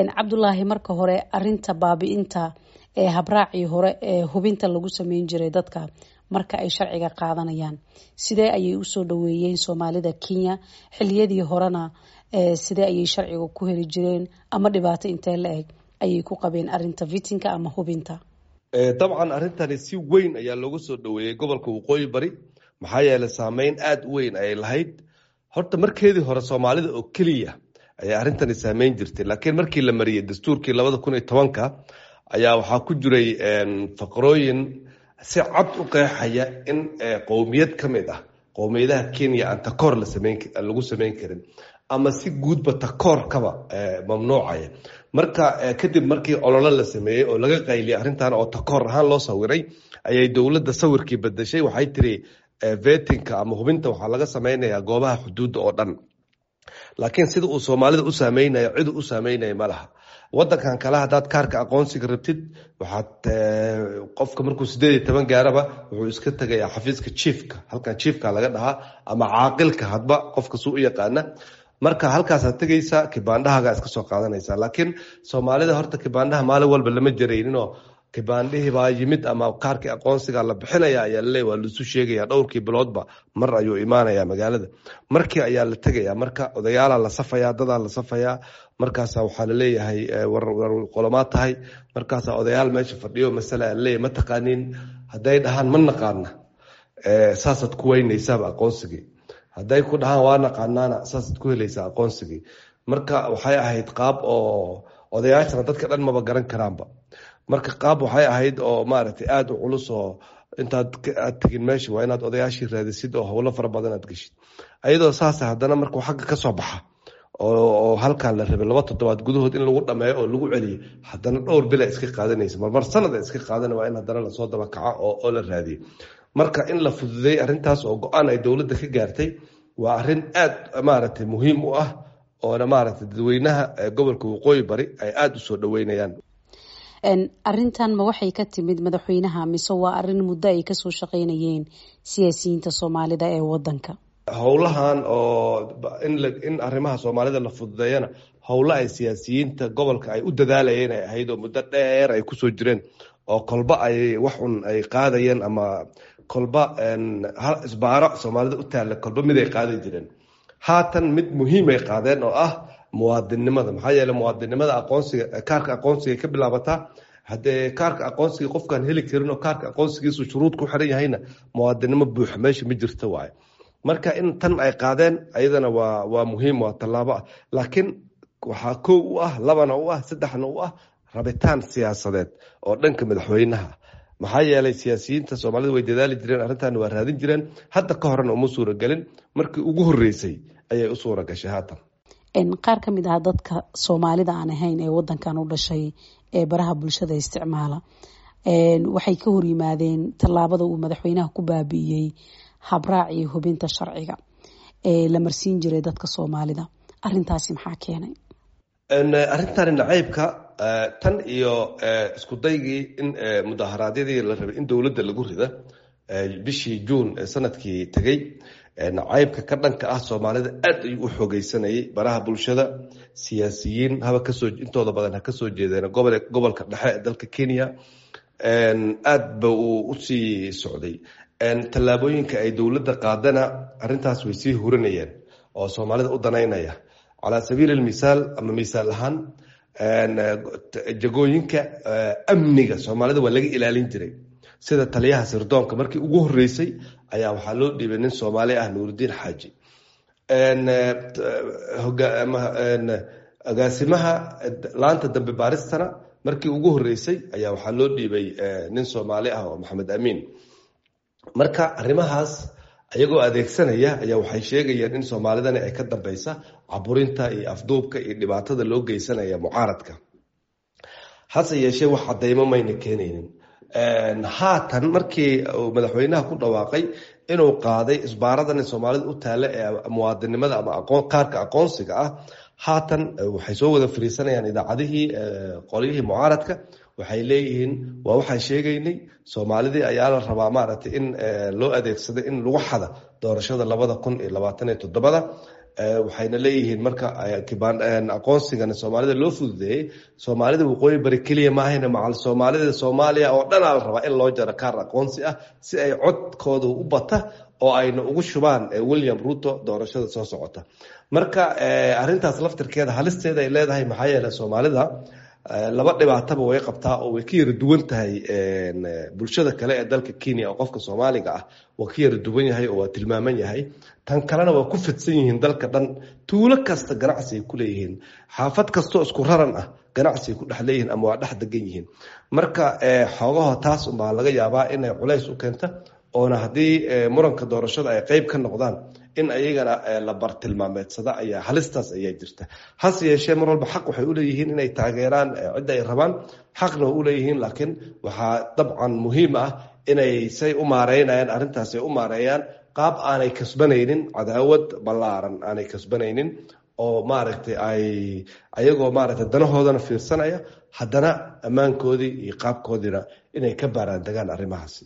Cabdulaahi, marka hore arinta baabi'inta ee habraacii hore ee hubinta lagu sameyn jiray dadka marka ay sharciga qaadanayaan, sidee ayay usoo dhaweeyeen Soomaalida Kenya? Xiliyadii horena sidee ayay sharciga ku heli jireen, ama dhibaato intee la eg ayay ku qabeen arinta vetting-ka ama hubinta? Dabcan, arrintani si weyn ayaa looga soo dhaweeyey gobolka Waqooyi Bari, maxaa yeelay saameyn aada u weyn ayay lahayd. Horta markeedii hore Soomaalida oo keliya ayaa arrintani saameyn jirtay, laakiin markii la mariyey dastuurkii 2010-ka ayaa waxaa ku jiray faqrooyin si cad u qeexaya in qowmiyad ka mid ah qowmiyadaha Kenya aan takoor lagu sameyn karin, ama si guudba takoorkaba mamnuucaya. Marka kadib markii ololo la sameeyey oo laga qayliyay arrintan oo takoor ahaan loo sawiray, ayay dowladda sawirkii bedeshay. Waxay tiri vetting-ka ama hubinta waxaa laga sameynayaa goobaha xuduudda oo dhan, laakiin sida uu Soomaalida u saameynayo cid u saameynaya ma laha. Wadankan kale haddaad kaarka aqoonsiga rabtid, waxaad qofka markuu 18 gaaraba wuxuu iska tegayaa xafiiska chiefka, halkan chiefka laga dhahaa ama caaqilka, hadba qofka suu u yaqaana. Marka halkaasaad tegaysaa, kibaandhahagaa iska soo qaadanaysaa. Laakiin Soomaalida horta kibaandhaha maalin walba lama jarayninoo kibaandhihii baa yimid ama kaarkii aqoonsiga la bixinaya ayaa laleeya, waa laisu sheegaya. Dhowrkii biloodba mar ayuu imaanaya magaalada, markii ayaa la tegaya. Marka odayaalaa la safayaa, dadaa la safayaa, markaasa waxaa laleeyahay, "War qolomaa tahay?" Markaasaa odayaal meesha fadhiyo masala laleeyahay, "Ma taqaaniin?" Hadday dhahaan "Ma naqaana," saasaad ku weynaysaaba aqoonsigii. Hadday ku dhahaan "Waa naqaanaana," saasaad ku helaysaa aqoonsigii. Marka waxay ahayd qaab oo odayaashana dadka dhan maba garan karaanba. Marka qaab waxay ahayd oo maaragtay aada u culus, oo intaad aad tegin meesha waa inaad odayaashii raadisid oo howlo fara badan aad geshid. Ayadoo saasa haddana markuu xagga ka soo baxa oo halkan la rabay 2 toddobaad gudahood in lagu dhameeyo oo lagu celiyo, haddana dhowr bila iska qaadanaysa, marmar sanada iska qaadana, waa in haddana lasoo daba kaco oo la raadiyo. Marka in la fududeeyey arrintaas oo go-aan ay dowladda ka gaartay waa arrin aada maaragtay muhiim u ah, oona maaragtay dadweynaha gobolka Waqooyi Bari ay aada usoo dhaweynayaan. Arrintan ma waxay ka timid madaxweynaha, mise waa arrin muddo ay kasoo shaqeynayeen siyaasiyiinta Soomaalida ee wadanka? Howlahan oo in arrimaha Soomaalida la fududeeyana howlo ay siyaasiyiinta gobolka ay u dadaalayeen ay ahayd, oo muddo dheer ay kusoo jireen, oo kolba ay wax un ay qaadayeen, ama kolba isbaaro Soomaalida u taalla kolba mid ay qaadi jireen. Haatan mid muhiim ay qaadeen oo ah muwaadinnimada, maxaa yeeley muwaadinnimada aqoonsiga, kaarka aqoonsiga ka bilaabataa. Haddee kaarka aqoonsiga qofkaan heli karin oo kaarka aqoonsigiisu shuruud ku xiran yahayna, muwaadinnimo buuxa meesha ma jirto waaye. Marka in tan ay qaadeen ayadana waa muhiim, waa tallaabo ah. Laakiin waxaa kow u ah, labana u ah, saddexna u ah rabitaan siyaasadeed oo dhanka madaxweynaha, maxaa yeelay siyaasiyiinta Soomaalida way dadaali jireen, arrintan waa raadin jireen. Hadda ka horena uma suuragelin, markii ugu horreysay ayay u suura gashay haatan. Qaar ka mid ah dadka Soomaalida aan ahayn ee wadankan u dhashay ee baraha bulshada isticmaala waxay ka horyimaadeen tallaabada uu madaxweynaha ku baabi'iyey habraacii hubinta sharciga ee la marsiin jiray dadka Soomaalida. Arintaasi maxaa keenay? Arrintani nacaybka tan iyo isku daygii in mudaharaadyadii la rabay in dowladda lagu rida bishii Juun ee sanadkii tegey, nacaybka ka dhanka ah Soomaalida aad ayuu u xoogeysanayay baraha bulshada. Siyaasiyiin haba kasoo intooda badan ha kasoo jeedeen gobolka dhexe ee dalka Kenya, aad ba uu usii socday. Tallaabooyinka ay dowladda qaadana arrintaas way sii hurinayeen oo Soomaalida u danaynaya. Calaa sabiili almisaal ama misaal ahaan, jagooyinka amniga Soomaalida waa laga ilaalin jiray, sida taliyaha sirdoonka markii ugu horreysay ayaa waxaa loo dhiibay nin Soomaali ah, Nuurudiin Xaaji. Agaasimaha laanta dambe baaristana markii ugu horreysay ayaa waxaa loo dhiibay nin Soomaali ah oo Maxamed Amiin. Marka arrimahaas ayagoo adeegsanaya ayaa waxay sheegayeen in Soomaalidani ay ka dambeysa caburinta iyo afduubka iyo dhibaatada loo geysanaya mucaaradka. Hase yeeshee wax cadeymo mayna keenaynin. Haatan markii uu madaxweynaha ku dhawaaqay inuu qaaday isbaaradan Soomaalida u taalla ee muwaadinimada ama kaarka aqoonsiga ah, haatan waxay soo wada fariisanayaan idaacadihii qolyihii mucaaradka. Waxay leeyihiin, "Waa waxaan sheegaynay, Soomaalidii ayaa la rabaa maaragtay in loo adeegsado in lagu xada doorashada 2027-da." Waxayna leeyihiin marka aqoonsigana Soomaalida loo fududeeyey, Soomaalida Waqooyi Bari keliya maahayna, macal Soomaalida Soomaaliya oo dhanaa la rabaa in loo jaro kaar aqoonsi ah si ay codkooda u bata oo ayna ugu shubaan William Ruto doorashada soo socota. Marka arrintaas laftirkeeda halisteeda ay leedahay, maxaa yeeley Soomaalida laba dhibaataba way qabtaa oo way ka yara duwan tahay bulshada kale ee dalka Kenya, oo qofka Soomaaliga ah waa ka yara duwan yahay oo waa tilmaaman yahay. Tan kalena waa ku fidsan yihiin dalka dhan, tuulo kasta ganacsi ay ku leeyihiin, xaafad kastoo isku raran ah ganacsi ay ku dhex leeyihiin ama waa dhex degan yihiin. Marka xoogaho taas unbaa laga yaabaa inay culays u keenta, oona haddii muranka doorashada ay qeyb ka noqdaan in ayagana la bartilmaameedsada ayaa halistaas ayaa jirta. Hase yeeshee mar walba xaq waxay uleeyihiin inay taageeraan cidda ay rabaan, xaqna waa uleeyihiin, laakiin waxaa dabcan muhiim ah inay say u maareynayaan arrintaas ay u maareeyaan qaab aanay kasbanaynin cadaawad ballaaran, aanay kasbanaynin oo maaragtay ay ayagoo maaragtay danahoodana fiirsanaya, haddana ammaankoodii iyo qaabkoodiina inay ka baaraan degaan arrimahaasi.